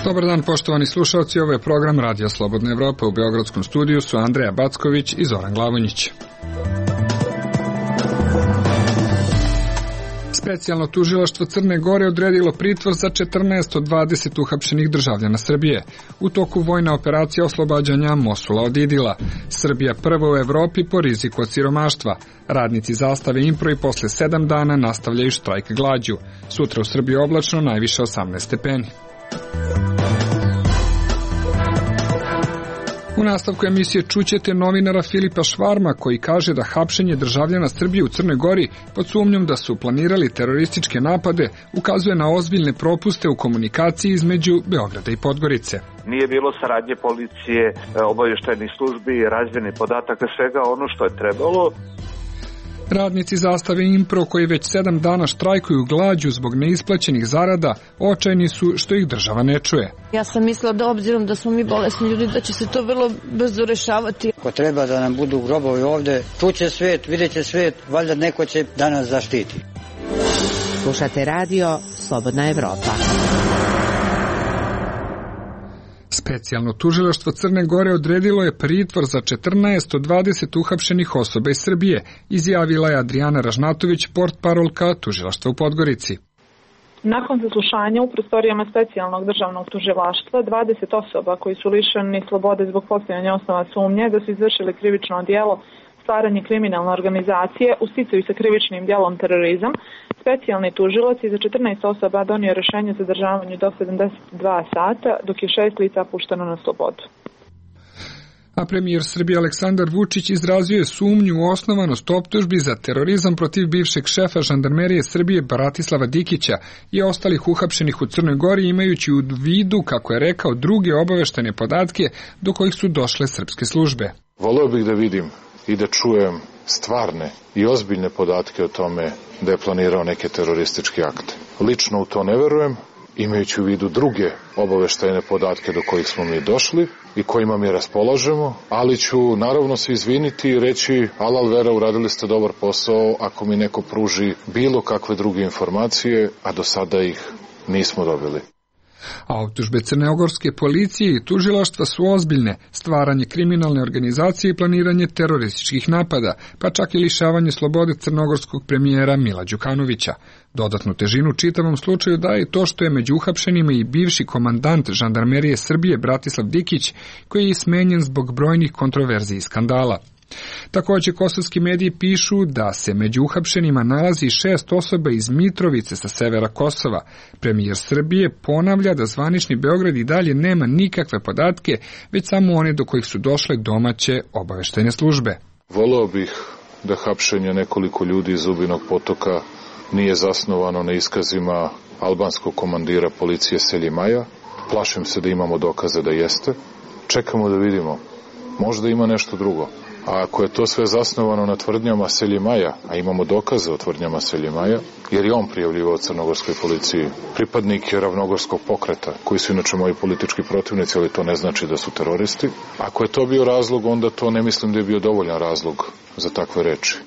Dobar dan, poštovani slušalci, ovo je program Radija Slobodna Evropa. U beogradskom studiju su Andreja Backović i Zoran Glavonjić. Specijalno tužilaštvo Crne Gore odredilo pritvor za 14 od 20 uhapšenih državljana Srbije u toku vojne operacije oslobađanja Mosula od Idila. Srbija prva u Evropi po riziku od siromaštva. Radnici Zastave Impro i posle 7 dana nastavljaju štrajk glađu. Sutra u Srbiji oblačno, najviše 18 stepeni. U nastavku emisije čućete novinara Filipa Švarma koji kaže da hapšenje državljana Srbije u Crnoj Gori pod sumnjom da su planirali terorističke napade ukazuje na ozbiljne propuste u komunikaciji između Beograda i Podgorice. Nije bilo saradnje policije, obavještajnih službi, razmjene podataka, svega ono što je trebalo. Radnici Zastave Impro koji već 7 dana štrajkuju glađu zbog neisplaćenih zarada, očajni su što ih država ne čuje. Ja sam mislila da obzirom da smo mi bolesni ljudi da će se to vrlo brzo rešavati. Ko treba da nam budu grobovi ovde, čuće svet, vidjet će svet, valjda neko će da nas zaštiti. Slušate radio Slobodna Evropa. Specijalno tužilaštvo Crne Gore odredilo je pritvor za 14 od 20 uhapšenih osoba iz Srbije, izjavila je Adrijana Ražnatović, portparolka tužilaštva u Podgorici. Nakon zaslušanja u prostorijama specijalnog državnog tužilaštva, 20 osoba koji su lišeni slobode zbog postojanja osnova sumnje da su izvršili krivično djelo stvaranje kriminalne organizacije u sticaju sa krivičnim djelom terorizam, specijalni tužilac je za 14 osoba donio rješenje za zadržavanje do 72 sata, dok je 6 lica pušteno na slobodu. A premijer Srbije Aleksandar Vučić izrazio je sumnju u osnovanost optužbi za terorizam protiv bivšeg šefa žandarmerije Srbije Bratislava Dikića i ostalih uhapšenih u Crnoj Gori, imajući u vidu, kako je rekao, druge obaveštene podatke do kojih su došle srpske službe. Voleo bih da vidim i da čujem stvarne i ozbiljne podatke o tome da je planirao neke terorističke akte. Lično u to ne verujem, imajući u vidu druge obaveštajne podatke do kojih smo mi došli i kojima mi raspolažemo, ali ću naravno se izviniti i reći alal vera, uradili ste dobar posao ako mi neko pruži bilo kakve druge informacije, a do sada ih nismo dobili. A optužbe crnogorske policije i tužilaštva su ozbiljne: stvaranje kriminalne organizacije i planiranje terorističkih napada, pa čak i lišavanje slobode crnogorskog premijera Mila Đukanovića. Dodatnu težinu čitavom slučaju daje to što je među uhapšenima i bivši komandant žandarmerije Srbije Bratislav Dikić, koji je smenjen zbog brojnih kontroverzija i skandala. Također kosovski mediji pišu da se među uhapšenima nalazi 6 osoba iz Mitrovice sa severa Kosova. Premijer Srbije ponavlja da zvanični Beograd i dalje nema nikakve podatke, već samo one do kojih su došle domaće obaveštajne službe. Voleo bih da hapšenje nekoliko ljudi iz Zubinog Potoka nije zasnovano na iskazima albanskog komandira policije Seljimaja. Plašim se da imamo dokaze da jeste. Čekamo da vidimo. Možda ima nešto drugo. A ako je to sve zasnovano na tvrdnjama Seljimaja, a imamo dokaze o tvrdnjama Seljimaja, jer je on prijavljivao crnogorskoj policiji pripadnike ravnogorskog pokreta, koji su inače moji politički protivnici, ali to ne znači da su teroristi. Ako je to bio razlog, onda to ne mislim da je bio dovoljan razlog za takve reči.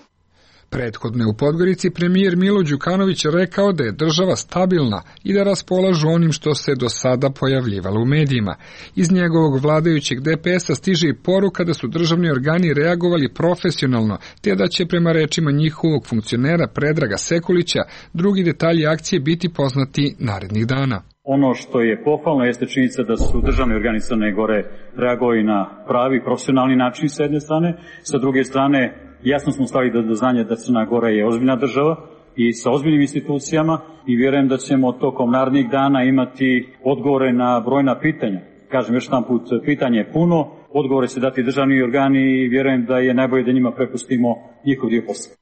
Prethodno je u Podgorici premijer Milo Đukanović rekao da je država stabilna i da raspolažu onim što se do sada pojavljivalo u medijima. Iz njegovog vladajućeg DPS-a stiže i poruka da su državni organi reagovali profesionalno, te da će prema rečima njihovog funkcionera Predraga Sekulića drugi detalji akcije biti poznati narednih dana. Ono što je pohvalno jeste činjenica da su državni organi Crne Gore reagovali na pravi profesionalni način s jedne strane, sa druge strane jasno smo stavili do znanja da Crna Gora je ozbiljna država i sa ozbiljnim institucijama i vjerujem da ćemo tokom narednih dana imati odgovore na brojna pitanja. Kažem još jedan put, pitanje je puno, odgovore će dati državni organi i vjerujem da je najbolje da njima prepustimo njihov dio posla.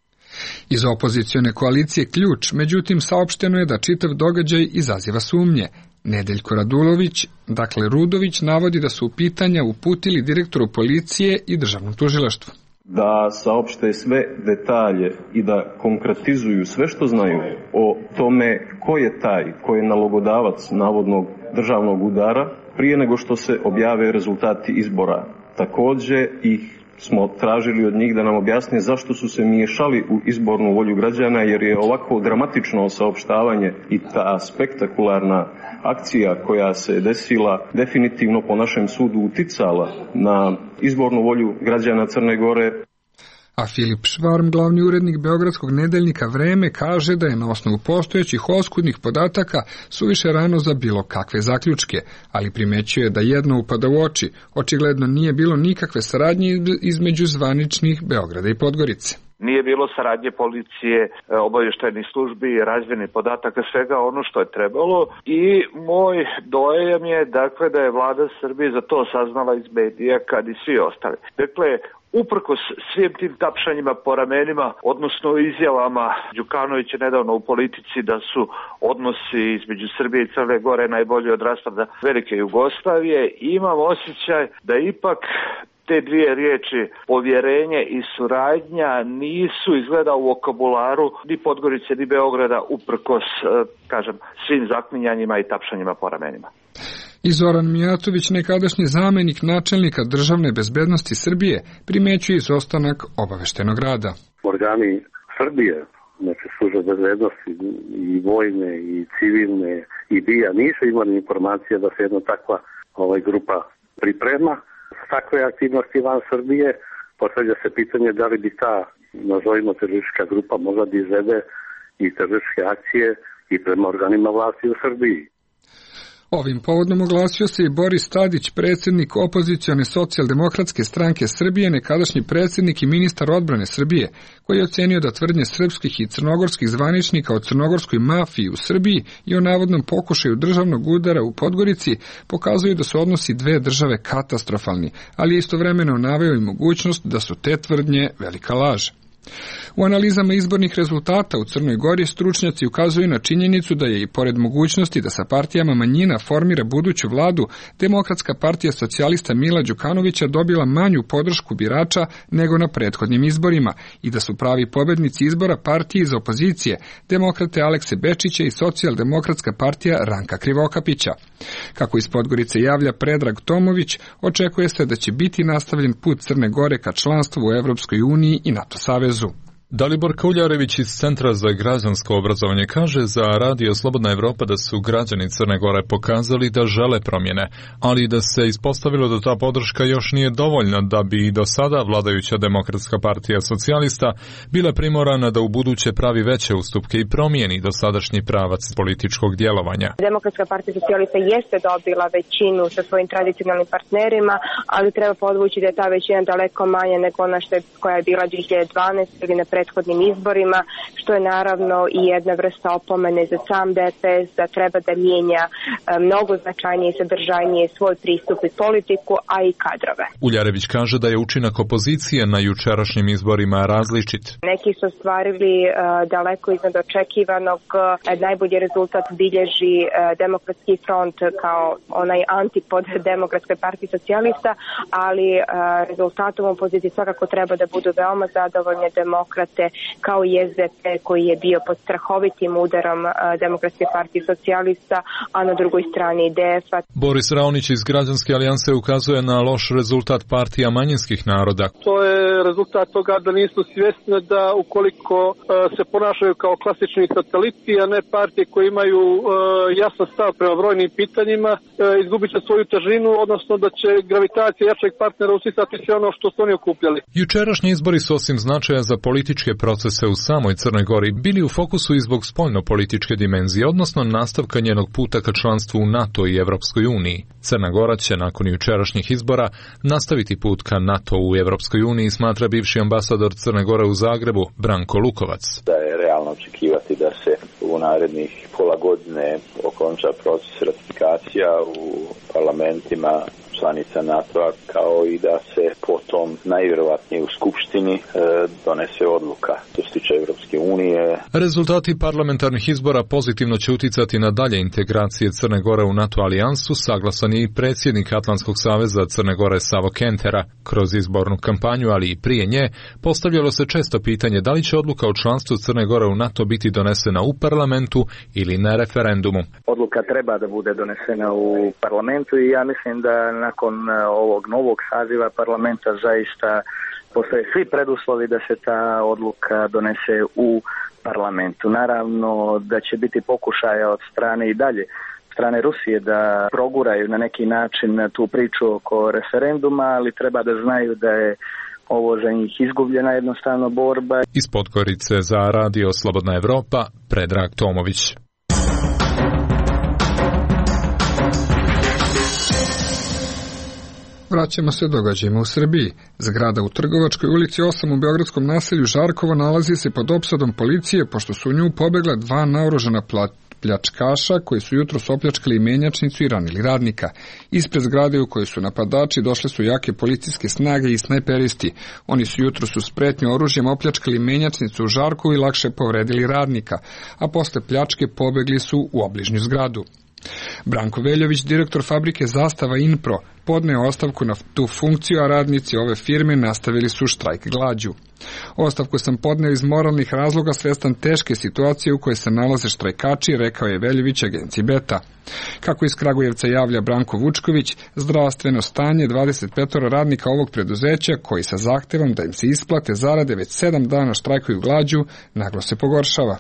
Iz opozicione koalicije Ključ, međutim, saopšteno je da čitav događaj izaziva sumnje. Nedeljko Radulović, dakle Rudović, navodi da su pitanja uputili direktoru policije i državnom tužilaštvu. Da saopšte sve detalje i da konkretizuju sve što znaju o tome ko je taj, ko je nalogodavac navodnog državnog udara prije nego što se objave rezultati izbora. Također ih smo tražili od njih da nam objasne zašto su se miješali u izbornu volju građana, jer je ovako dramatično saopštavanje i ta spektakularna akcija koja se desila definitivno po našem sudu uticala na izbornu volju građana Crne Gore. A Filip Švarm, glavni urednik beogradskog nedeljnika Vreme, kaže da je na osnovu postojećih oskudnih podataka suviše rano za bilo kakve zaključke, ali primećuje da jedno upada u oči. Očigledno nije bilo nikakve saradnje između zvaničnih Beograda i Podgorice. Nije bilo saradnje policije, obavještajnih službi, razmjene podataka, svega ono što je trebalo i moj dojam je dakle da je vlada Srbije za to saznala iz medija kad i svi ostali. Dakle, uprkos svim tim tapšanjima po ramenima, odnosno izjavama Đukanovića nedavno u Politici da su odnosi između Srbije i Crne Gore najbolji od raspada velike Jugoslavije, imam osjećaj da ipak te dvije riječi, povjerenje i suradnja, nisu izgleda u vokabularu ni Podgorice ni Beograda uprkos, svim zaklinjanjima i tapšanjima po ramenima. I Zoran Mijatović, nekadašnji zamenik načelnika državne bezbednosti Srbije, primećuje izostanak obaveštenog rada. Organi Srbije, znači službe bezbednosti i vojne i civilne i BIA nisu imali informacije da se jedna takva grupa priprema. Takve aktivnosti van Srbije, postavlja se pitanje da li bi ta, nazovimo teroristička grupa, mogla da izvede i terorističke akcije i prema organima vlasti u Srbiji. Ovim povodom oglasio se i Boris Tadić, predsjednik opozicione socijaldemokratske stranke Srbije, nekadašnji predsjednik i ministar odbrane Srbije, koji je ocenio da tvrdnje srpskih i crnogorskih zvaničnika o crnogorskoj mafiji u Srbiji i o navodnom pokušaju državnog udara u Podgorici pokazuju da su odnosi dve države katastrofalni, ali je istovremeno naveo i mogućnost da su te tvrdnje velika laž. U analizama izbornih rezultata u Crnoj Gori stručnjaci ukazuju na činjenicu da je i pored mogućnosti da sa partijama manjina formira buduću vladu, Demokratska partija socijalista Mila Đukanovića dobila manju podršku birača nego na prethodnim izborima i da su pravi pobednici izbora partije iz opozicije, demokrate Alekse Bečića i socijaldemokratska partija Ranka Krivokapića. Kako iz Podgorice javlja Predrag Tomović, očekuje se da će biti nastavljen put Crne Gore ka članstvu u Evropskoj uniji i NATO savezu. Dalibor Kauljarević iz Centra za građansko obrazovanje kaže za Radio Slobodna Evropa da su građani Crne Gore pokazali da žele promjene, ali da se ispostavilo da ta podrška još nije dovoljna da bi i do sada vladajuća Demokratska partija socijalista bila primorana da u buduće pravi veće ustupke i promijeni dosadašnji pravac političkog djelovanja. Demokratska partija socijalista jeste dobila većinu sa svojim tradicionalnim partnerima, ali treba podvući da je ta većina daleko manja nego ona koja je bila 2012 ili na prethodnim izborima, što je naravno i jedna vrsta opomene za sam DPS da treba da mijenja mnogo značajnije i sadržajnije svoj pristup i politiku, a i kadrove. Uljarević kaže da je učinak opozicije na jučerašnjim izborima različit. Neki su ostvarili daleko iznad očekivanog. Najbolji rezultat bilježi Demokratski front kao onaj antipod Demokratske partije socijalista, ali rezultatom opozicije svakako treba da budu veoma zadovoljne Demokrate kao i SDP koji je bio pod strahovitim udarom Demokratske partije socijalista, a na drugoj strani IDF-a. Boris Raonić iz Građanske alijanse ukazuje na loš rezultat partija manjinskih naroda. To je rezultat toga da nisu svjesni da ukoliko se ponašaju kao klasični sateliti, a ne partije koje imaju jasan stav prema brojnim pitanjima, izgubit će svoju težinu, odnosno da će gravitacija jačeg partnera usisati sve ono što su oni okupljali. Jučerašnji izbori su osim značaja za političke procese u samoj Crnoj Gori bili u fokusu i zbog spoljno-političke dimenzije, odnosno nastavka njenog puta ka članstvu u NATO i Evropskoj uniji. Crna Gora će nakon jučerašnjih izbora nastaviti put ka NATO u Evropskoj uniji, smatra bivši ambasador Crne Gore u Zagrebu, Branko Lukovac. Da je realno očekivati da se u narednih pola godine okonča proces ratifikacija u parlamentima članica NATO-a, kao i da se potom najvjerovatnije u Skupštini donese odluka što se tiče Evropske unije. Rezultati parlamentarnih izbora pozitivno će uticati na dalje integracije Crne Gore u NATO alijansu, saglasan je i predsjednik Atlantskog saveza Crne Gore Savo Kentera. Kroz izbornu kampanju, ali i prije nje, postavljalo se često pitanje da li će odluka o članstvu Crne Gore u NATO biti donesena u parlamentu ili na referendumu. Odluka treba da bude donesena u parlamentu i ja mislim da nakon ovog novog saziva parlamenta zaista Postoje svi preduslovi da se ta odluka donese u parlamentu. Naravno da će biti pokušaja od strane i dalje strane Rusije da proguraju na neki način tu priču oko referenduma, ali treba da znaju da je ovo za njih izgubljena jednostavno borba. Iz Podgorice za Radio Slobodna Evropa, Predrag Tomović. Vraćamo se događajima u Srbiji. Zgrada u Trgovačkoj ulici 8 u beogradskom naselju Žarkovo nalazi se pod opsadom policije pošto su u nju pobegla 2 naoružana pljačkaša koji su jutros opljačkali menjačnicu i ranili radnika. Ispred zgrade u kojoj su napadači došle su jake policijske snage i snajperisti. Oni su jutros uz pretnju oružjem opljačkali menjačnicu u Žarkovu i lakše povredili radnika, a posle pljačke pobegli su u obližnju zgradu. Branko Veljović, direktor fabrike Zastava Inpro, podneo ostavku na tu funkciju, a radnici ove firme nastavili su štrajk glađu. Ostavku sam podneo iz moralnih razloga svestan teške situacije u kojoj se nalaze štrajkači, rekao je Veljović agenciji Beta. Kako iz Kragujevca javlja Branko Vučković, zdravstveno stanje 25 radnika ovog preduzeća, koji sa zahtevom da im se isplate zarade već 7 dana štrajkuju glađu, naglo se pogoršava.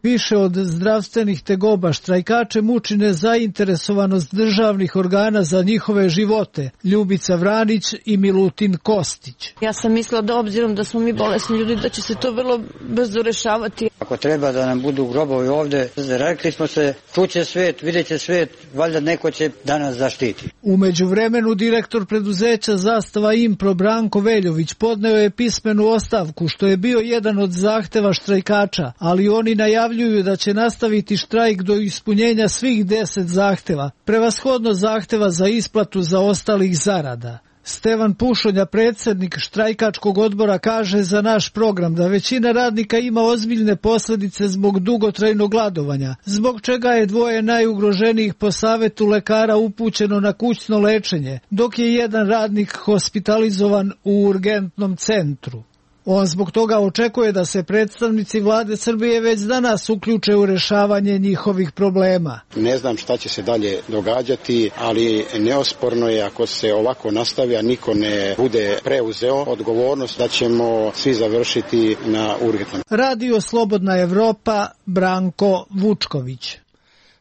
Više od zdravstvenih tegoba štrajkače muči nezainteresovanost državnih organa za njihove živote. Ljubica Vranić i Milutin Kostić. Ja sam mislila da obzirom da smo mi bolesni ljudi da će se to vrlo brzo rešavati. Ako treba da nam budu grobovi ovde, rekli smo se, čuće svet, vidjet će svet, valjda neko će da nas zaštiti. U međuvremenu direktor preduzeća Zastava Impro Branko Veljović podneo je pismenu ostavku, što je bio jedan od zahteva štrajkača, ali oni najavljuju da će nastaviti štrajk do ispunjenja svih 10 zahteva, prevashodno zahteva za isplatu zaostalih zarada. Stevan Pušonja, predsjednik štrajkačkog odbora, kaže za naš program da većina radnika ima ozbiljne posljedice zbog dugotrajnog gladovanja, zbog čega je 2 najugroženijih po savetu lekara upućeno na kućno lečenje, dok je jedan radnik hospitalizovan u urgentnom centru. On zbog toga očekuje da se predstavnici vlade Srbije već danas uključe u rešavanje njihovih problema. Ne znam šta će se dalje događati, ali neosporno je ako se ovako nastavi, a niko ne bude preuzeo odgovornost, da ćemo svi završiti na urgentnom. Radio Slobodna Evropa, Branko Vučković.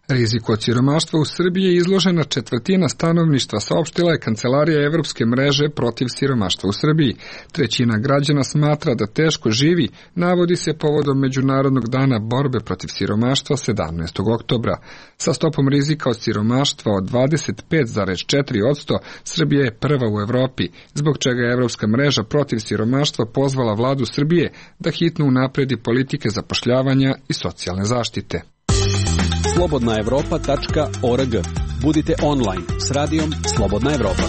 Riziku od siromaštva u Srbiji je izložena 1/4 stanovništva, saopštila je Kancelarija Evropske mreže protiv siromaštva u Srbiji. 1/3 građana smatra da teško živi, navodi se povodom Međunarodnog dana borbe protiv siromaštva 17. oktobra. Sa stopom rizika od siromaštva od 25,4%, Srbija je prva u Evropi, zbog čega je Evropska mreža protiv siromaštva pozvala vladu Srbije da hitno unapredi politike zapošljavanja i socijalne zaštite. slobodnaevropa.org. Budite online s radijom Slobodna Evropa.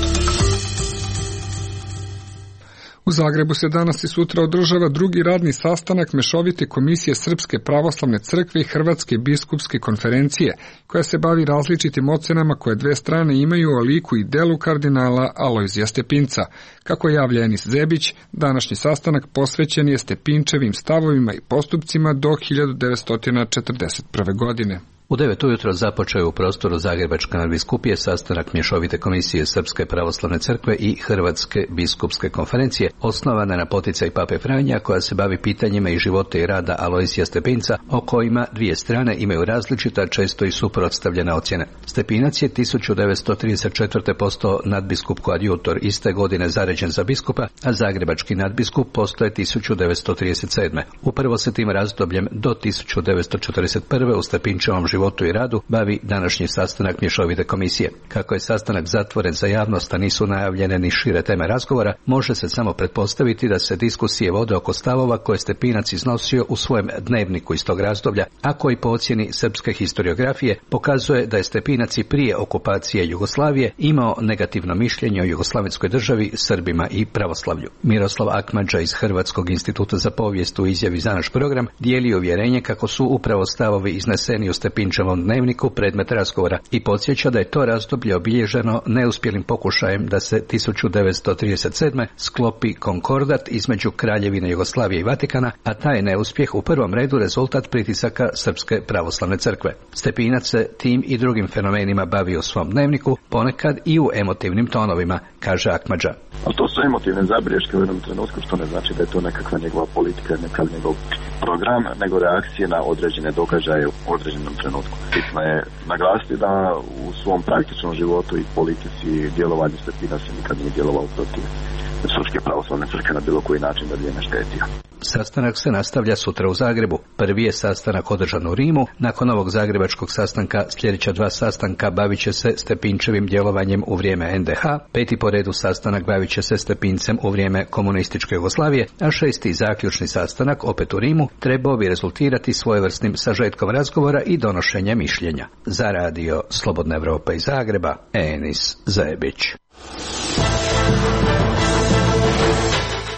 U Zagrebu se danas i sutra održava drugi radni sastanak Mešovite komisije Srpske pravoslavne crkve i Hrvatske biskupske konferencije, koja se bavi različitim ocenama koje 2 strane imaju o liku i delu kardinala Alojzija Stepinca. Kako javlja Enis Zebić, današnji sastanak posvećen je Stepinčevim stavovima i postupcima do 1941. godine. U 9 ujutro započeo je u prostoru Zagrebačke nadbiskupije sastanak Mješovite komisije Srpske pravoslavne crkve i Hrvatske biskupske konferencije, osnovana na poticaj Pape Franja, koja se bavi pitanjima i života i rada Alojzija Stepinca, o kojima 2 strane imaju različita, često i suprotstavljena ocjene. Stepinac je 1934. postao nadbiskup koadjutor, iste godine zaređen za biskupa, a zagrebački nadbiskup postao je 1937. Upravo se tim razdobljem do 1941. u Stepinčevom životu i radu bavi današnji sastanak Mješovite komisije. Kako je sastanak zatvoren za javnost, a nisu najavljene ni šire teme razgovora, može se samo pretpostaviti da se diskusije vode oko stavova koje Stepinac iznosio u svojem dnevniku iz tog razdoblja, a koji po ocjeni srpske historiografije pokazuje da je Stepinac i prije okupacije Jugoslavije imao negativno mišljenje o jugoslavenskoj državi, Srbima i pravoslavlju. Miroslav Akmadža iz Hrvatskog instituta za povijest u izjavi za naš program dijeli uvjerenje kako su upravo stavovi izneseni u Stepincu Stepinčevom dnevniku predmet razgovora i podsjeća da je to razdoblje obilježeno neuspjelim pokušajem da se 1937. sklopi konkordat između Kraljevine Jugoslavije i Vatikana, a taj neuspjeh u prvom redu rezultat pritisaka Srpske pravoslavne crkve. Stepinac se tim i drugim fenomenima bavi u svom dnevniku, ponekad i u emotivnim tonovima, kaže Akmadža. Ali to su emotivne zabriješke u jednom trenutku, što ne znači da je to nekakva njegova politika, nekakav njegov program, nego reakcije na određene događaje u određenom trenutku. Bitno je naglasiti da u svom praktičnom životu i politici i djelovanju Stepinac se nikad nije djelovao protiv Srpske pravoslavne crkve na bilo koji način da bi je ne štetio. Sastanak se nastavlja sutra u Zagrebu. Prvi je sastanak održan u Rimu. Nakon ovog zagrebačkog sastanka sljedeća 2 sastanka bavit će se Stepinčevim djelovanjem u vrijeme NDH, 5. po redu sastanak bavit će se Stepincem u vrijeme komunističke Jugoslavije, a 6. zaključni sastanak, opet u Rimu, trebao bi rezultirati svojevrsnim sažetkom razgovora i donošenja mišljenja. Za radio Slobodna Evropa iz Zagreba, Enis Zajebić.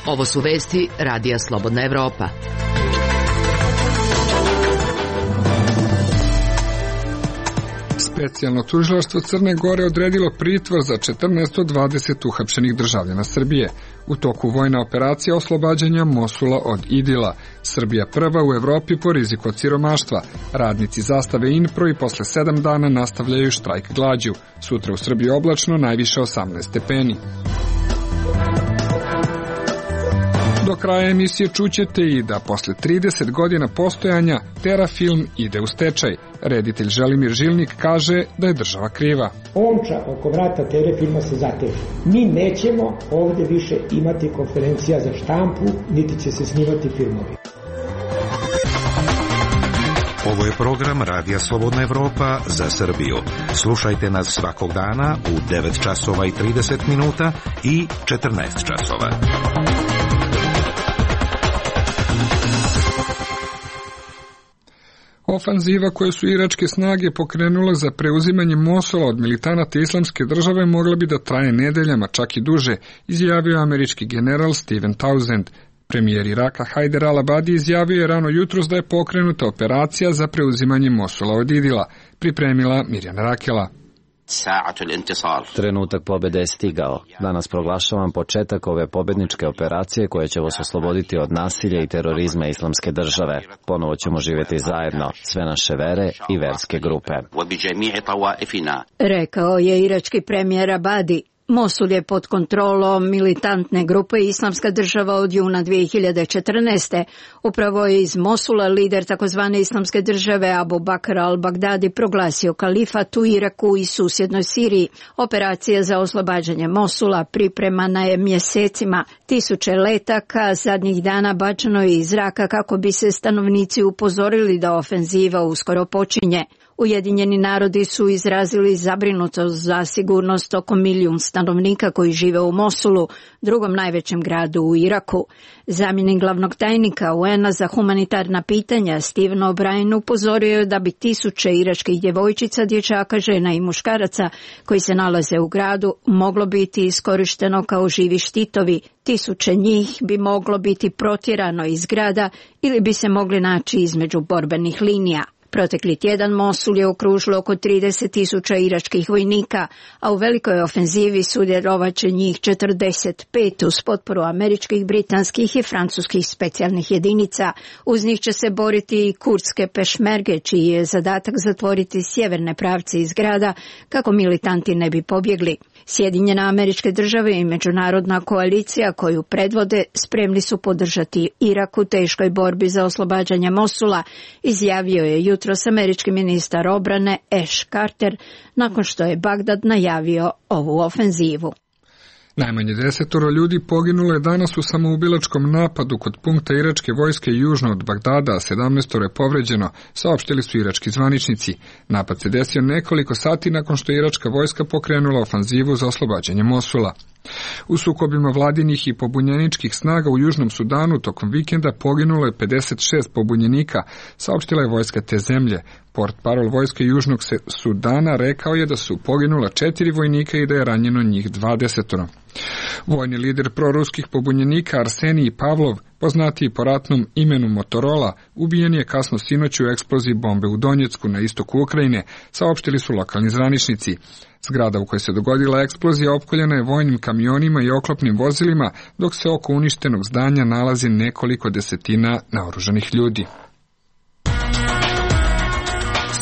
Ovo su vesti Radija Slobodna Evropa. Specijalno tužilaštvo Crne Gore odredilo pritvor za 14 od 20 uhapšenih državljana Srbije u toku vojne operacije oslobađanja Mosula od Idila. Srbija prva u Evropi po riziku od siromaštva. Radnici zastave INPRO i posle 7 dana nastavljaju štrajk glađu. Sutra u Srbiji oblačno, najviše 18 stepeni. Do kraja emisije čućete i da posle 30 godina postojanja Terafilm ide u stečaj. Reditelj Želimir Žilnik kaže da je država kriva. Omča oko vrata Terafilma se zateže. Mi nećemo ovde više imati konferencija za štampu, niti će se snimati filmovi. Ovo je program Radija Slobodna Evropa za Srbiju. Slušajte nas svakog dana u 9 časova i 30 minuta i 14 časova. Ofanziva koju su iračke snage pokrenule za preuzimanje Mosula od militanata Islamske države mogla bi da traje nedeljama, čak i duže, izjavio američki general Steven Townsend. Premijer Iraka Hajder al-Abadi izjavio je rano jutros da je pokrenuta operacija za preuzimanje Mosula od Idila, pripremila Mirjana Rakela. Trenutak pobjede je stigao. Danas proglašavam početak ove pobjedničke operacije koje će vas osloboditi od nasilja i terorizma Islamske države. Ponovo ćemo živjeti zajedno, sve naše vere i verske grupe. Rekao je irački premijer Abadi. Mosul je pod kontrolom militantne grupe Islamska država od juna 2014. Upravo je iz Mosula lider takozvane Islamske države Abu Bakr al-Baghdadi proglasio kalifat u Iraku i susjednoj Siriji. Operacija za oslobađanje Mosula pripremana je mjesecima. Tisuće letaka zadnjih dana bačeno je iz zraka kako bi se stanovnici upozorili da ofenziva uskoro počinje. Ujedinjeni narodi su izrazili zabrinutost za sigurnost oko 1 milijun stanovnika koji žive u Mosulu, drugom najvećem gradu u Iraku. Zamjenik glavnog tajnika UN-a za humanitarna pitanja Steven O'Brien upozorio je da bi tisuće iračkih djevojčica, dječaka, žena i muškaraca koji se nalaze u gradu moglo biti iskorišteno kao živi štitovi. Tisuće njih bi moglo biti protjerano iz grada ili bi se mogli naći između borbenih linija. Protekli tjedan Mosul je okružilo oko 30.000 iračkih vojnika, a u velikoj ofenzivi sudjelovat će njih 45 uz potporu američkih, britanskih i francuskih specijalnih jedinica. Uz njih će se boriti i kurdske pešmerge, čiji je zadatak zatvoriti sjeverne pravce iz grada kako militanti ne bi pobjegli. Sjedinjene Američke Države i međunarodna koalicija koju predvode spremni su podržati Irak u teškoj borbi za oslobađanje Mosula, izjavio je jutros američki ministar obrane Ash Carter nakon što je Bagdad najavio ovu ofenzivu. Najmanje 10 ljudi poginulo je danas u samoubilačkom napadu kod punkta iračke vojske južno od Bagdada, a 17 je povređeno, saopštili su irački zvaničnici. Napad se desio nekoliko sati nakon što je iračka vojska pokrenula ofanzivu za oslobađanje Mosula. U sukobima vladinih i pobunjeničkih snaga u Južnom Sudanu tokom vikenda poginulo je 56 pobunjenika, saopštila je vojska te zemlje. Portparol vojske Južnog Sudana rekao je da su poginula 4 vojnika i da je ranjeno njih 20. Vojni lider proruskih pobunjenika Arsenij Pavlov, poznatiji po ratnom imenu Motorola, ubijen je kasno sinoć u eksploziji bombe u Donjecku na istoku Ukrajine, saopštili su lokalni zvaničnici. Zgrada u kojoj se dogodila eksplozija opkoljena je vojnim kamionima i oklopnim vozilima, dok se oko uništenog zdanja nalazi nekoliko desetina naoružanih ljudi.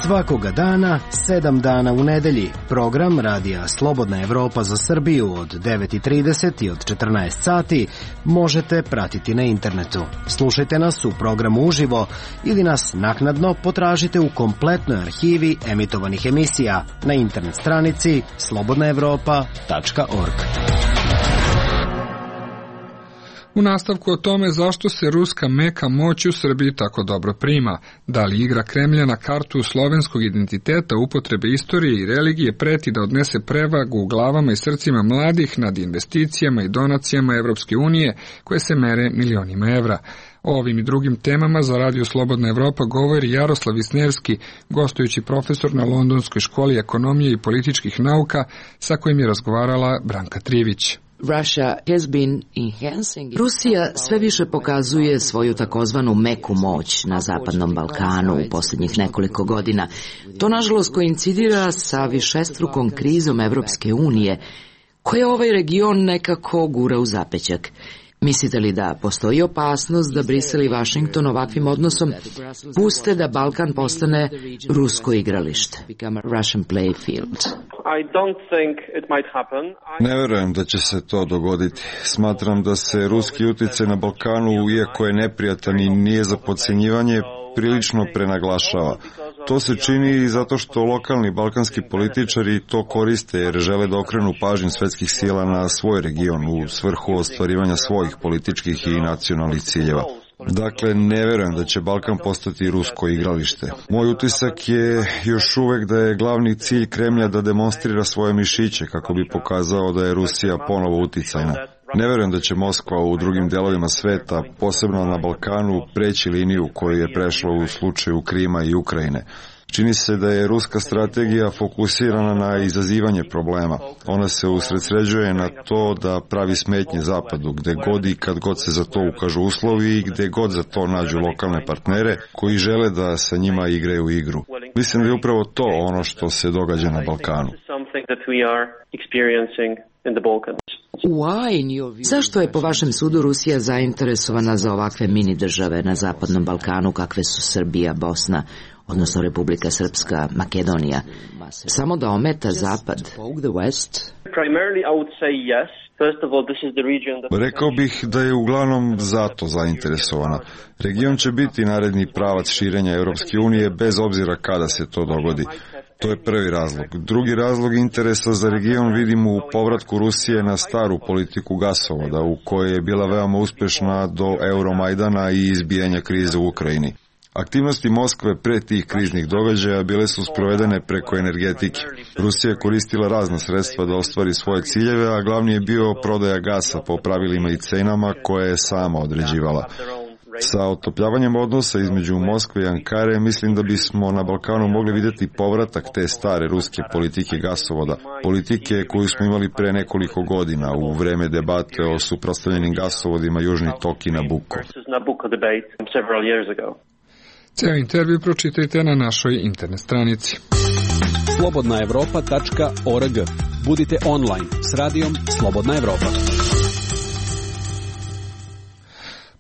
Svakoga dana, 7 dana u nedelji, program Radija Slobodna Evropa za Srbiju od 9:30 i od 14 sati možete pratiti na internetu. Slušajte nas u programu uživo ili nas naknadno potražite u kompletnoj arhivi emitovanih emisija na internet stranici slobodnaevropa.org. U nastavku o tome zašto se ruska meka moć u Srbiji tako dobro prima, da li igra Kremlja na kartu slovenskog identiteta, upotrebe istorije i religije preti da odnese prevagu u glavama i srcima mladih nad investicijama i donacijama Evropske unije koje se mere milionima evra. O ovim i drugim temama za Radio Slobodna Evropa govori Jaroslav Visnevski, gostujući profesor na Londonskoj školi ekonomije i političkih nauka, sa kojim je razgovarala Branka Trivić. Rusija sve više pokazuje svoju takozvanu meku moć na Zapadnom Balkanu u posljednjih nekoliko godina. To nažalost koincidira sa višestrukom krizom Evropske unije, koja ovaj region nekako gura u zapećak. Mislite li da postoji opasnost da Brisel i Vašington ovakvim odnosom puste da Balkan postane rusko igralište? Ne verujem da će se to dogoditi. Smatram da se ruski uticaj na Balkanu, iako je neprijatan i nije za podcjenjivanje, prilično prenaglašava. To se čini i zato što lokalni balkanski političari to koriste jer žele da okrenu pažnju svetskih sila na svoj region u svrhu ostvarivanja svojih političkih i nacionalnih ciljeva. Dakle, ne verujem da će Balkan postati rusko igralište. Moj utisak je još uvek da je glavni cilj Kremlja da demonstrira svoje mišiće kako bi pokazao da je Rusija ponovo uticajna. Ne verujem da će Moskva u drugim delovima sveta, posebno na Balkanu, preći liniju koju je prešla u slučaju Krima i Ukrajine. Čini se da je ruska strategija fokusirana na izazivanje problema. Ona se usredsređuje na to da pravi smetnje Zapadu, gde god i kad god se za to ukažu uslovi i gde god za to nađu lokalne partnere koji žele da sa njima igraju igru. Mislim da je upravo to ono što se događa na Balkanu. Zašto je po vašem sudu Rusija zainteresovana za ovakve mini države na Zapadnom Balkanu kakve su Srbija, Bosna, odnosno Republika Srpska, Makedonija, samo da ometa Zapad? Rekao bih da je uglavnom zato zainteresovana. Region će biti naredni pravac širenja Europske unije bez obzira kada se to dogodi. To je prvi razlog. Drugi razlog interesa za region vidimo u povratku Rusije na staru politiku gasovoda, u kojoj je bila veoma uspešna do Euromajdana i izbijanja krize u Ukrajini. Aktivnosti Moskve pre tih kriznih događaja bile su sprovedene preko energetike. Rusija je koristila razna sredstva da ostvari svoje ciljeve, a glavni je bio prodaja gasa po pravilima i cenama koje je sama određivala. Sa otopljavanjem odnosa između Moskve i Ankare mislim da bismo na Balkanu mogli vidjeti povratak te stare ruske politike gasovoda, politike koju smo imali pre nekoliko godina u vreme debate o suprotstavljenim gasovodima Južni tok i Nabucco. Ceo intervju pročitajte na našoj internet stranici. slobodnaevropa.org. Budite online s radijom Slobodna Evropa.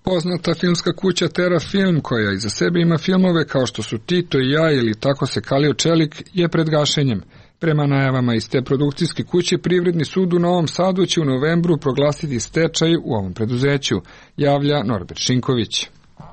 Poznata filmska kuća Terra Film, koja iza sebe ima filmove kao što su Tito i ja ili Tako se kalio čelik, je pred gašenjem. Prema najavama iz te produkcijske kuće, Privredni sud u Novom Sadu će u novembru proglasiti stečaj u ovom preduzeću, javlja Norbert Šinković.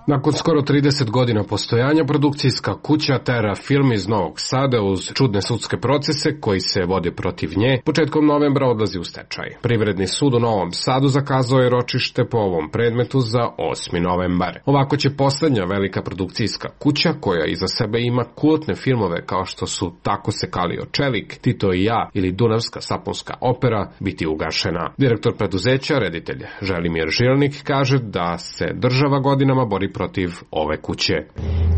Nakon skoro 30 godina postojanja, produkcijska kuća Terra Film iz Novog Sada uz čudne sudske procese koji se vode protiv nje, početkom novembra odlazi u stečaj. Privredni sud u Novom Sadu zakazao je ročište po ovom predmetu za 8. novembar. Ovako će poslednja velika produkcijska kuća, koja iza sebe ima kultne filmove kao što su Tako se kalio čelik, Tito i ja ili Dunavska sapunska opera, biti ugašena. Direktor preduzeća, reditelj Želimir Žilnik, kaže da se država godinama bori protiv ove kuće.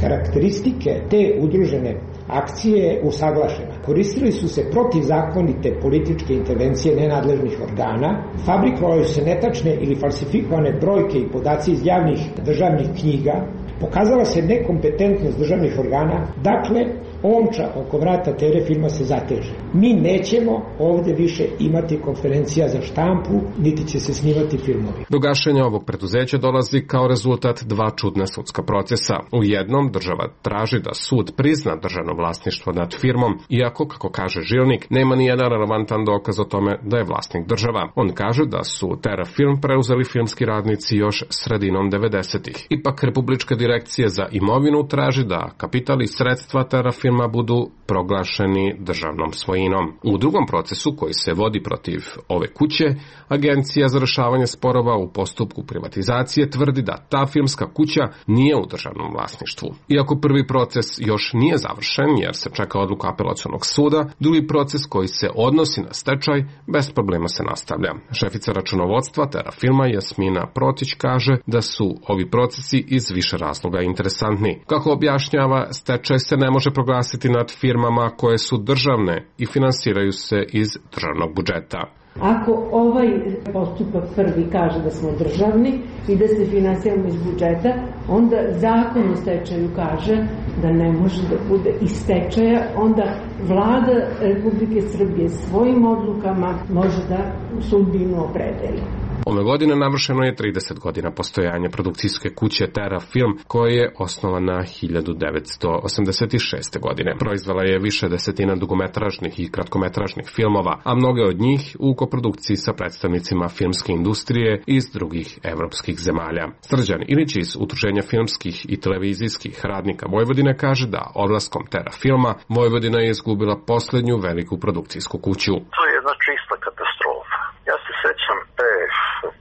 Karakteristike te udružene akcije usaglašena. Koristili su se protivzakonite političke intervencije nenadležnih organa, fabrikovali su se netačne ili falsifikovane brojke i podaci iz javnih državnih knjiga, pokazala se nekompetentnost državnih organa, dakle, omča oko vrata TV filma se zateže. Mi nećemo ovde više imati konferencija za štampu, niti će se snimati filmovi. Do gašenja ovog preduzeća dolazi kao rezultat dva čudna sudska procesa. U jednom država traži da sud prizna državno vlasništvo nad firmom, iako, kako kaže Žilnik, nema ni jedan relevantan dokaz o tome da je vlasnik država. On kaže da su Terafilm preuzeli filmski radnici još sredinom 90-ih. Ipak Republička direkcija za imovinu traži da kapital i sredstva Terafilma budu proglašeni državnom svojinom. U drugom procesu koji se vodi protiv ove kuće, Agencija za rešavanje sporova u postupku privatizacije tvrdi da ta filmska kuća nije u državnom vlasništvu. Iako prvi proces još nije završen jer se čeka odluka apelacionog suda, drugi proces koji se odnosi na stečaj bez problema se nastavlja. Šefica računovodstva Terafilma Jasmina Protić kaže da su ovi procesi iz više razloga interesantni. Kako objašnjava, stečaj se ne može proglasiti nad firmama koje su državne i finansiraju se iz državnog budžeta. Ako ovaj postupak prvi kaže da smo državni i da se finansiramo iz budžeta, onda zakon o stečaju kaže da ne može da bude iz stečaja, onda vlada Republike Srbije svojim odlukama može da sudbinu opredeli. Ove godine navršeno je 30 godina postojanja produkcijske kuće Terafilm, koja je osnovana 1986. godine. Proizvela je više desetina dugometražnih i kratkometražnih filmova, a mnoge od njih u koprodukciji sa predstavnicima filmske industrije iz drugih evropskih zemalja. Srđan Ilić iz Udruženja filmskih i televizijskih radnika Vojvodine kaže da odlaskom Terafilma Vojvodina je izgubila posljednju veliku produkcijsku kuću. To je jedna čista katastrofa. Ja se sećam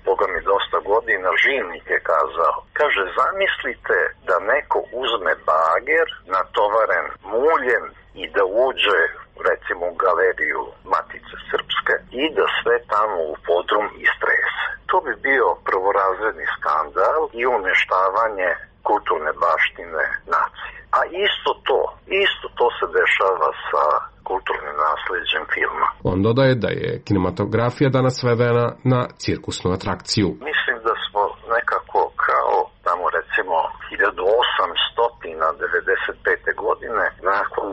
Boga mi dosta godina, Žilnik je kazao, kaže, zamislite da neko uzme bager natovaren muljem i da uđe recimo u galeriju Matice Srpske i da sve tamo u podrum istrese. To bi bio prvorazredni skandal i uništavanje kulturne baštine nacije. A isto to se dešava sa kulturnim nasleđem filma. On dodaje da je kinematografija danas svedena na cirkusnu atrakciju. Mislim da smo nekako kao tamo recimo 1895. godine nakon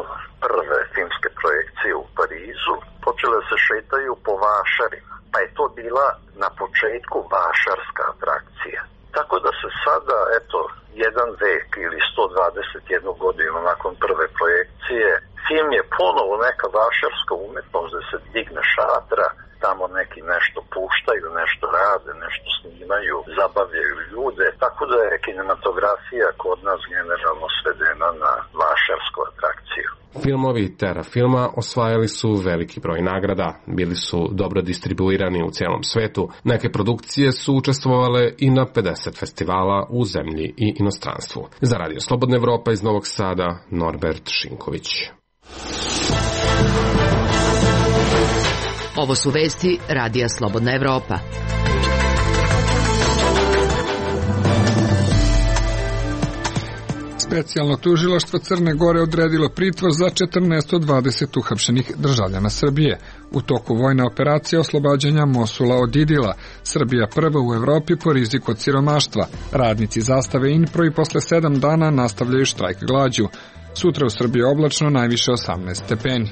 prve filmske projekcije u Parizu počele se šetaju po vašarima. Pa je to bila na početku vašarska atrakcija. Tako da se sada, jedan vek ili 121 godinu nakon prve projekcije, film je ponovo neka vašarska umetnost da se digne šatra, tamo neki nešto puštaju, nešto rade, nešto snimaju, zabavljaju ljude, tako da je kinematografija kod nas generalno svedena na vašarsku atrakciju. Filmovi Terafilma osvajali su veliki broj nagrada, bili su dobro distribuirani u cijelom svetu, neke produkcije su učestvovale i na 50 festivala u zemlji i inostranstvu. Za Radio Slobodna Evropa iz Novog Sada, Norbert Šinković. Ovo su vesti Radija Slobodna Evropa. Specijalno tužilaštvo Crne Gore odredilo pritvor za 14 od 20 uhapšenih državljana Srbije. U toku vojne operacije oslobađanja Mosula od Idila, Srbija prva u Evropi po riziku od siromaštva. Radnici zastave Inpro i posle 7 dana nastavljaju štrajk glađu. Sutra u Srbiji oblačno, najviše 18 stepeni.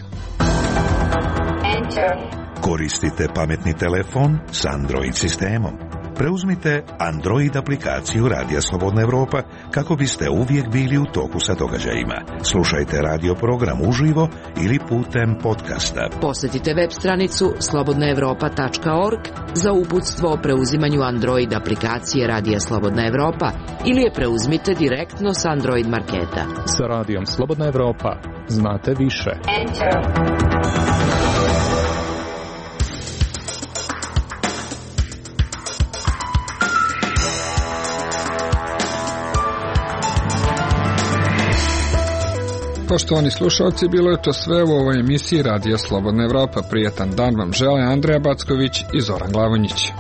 Koristite pametni telefon s Android sistemom. Preuzmite Android aplikaciju Radija Slobodna Evropa kako biste uvijek bili u toku sa događajima. Slušajte radio program uživo ili putem podcasta. Posjetite web stranicu slobodnaevropa.org za uputstvo o preuzimanju Android aplikacije Radija Slobodna Evropa ili je preuzmite direktno s Android marketa. Sa Radijom Slobodna Evropa znate više. Poštovani slušalci, bilo je to sve u ovoj emisiji Radija Slobodna Evropa. Prijetan dan vam žele Andreja Backović i Zoran Glavonjić.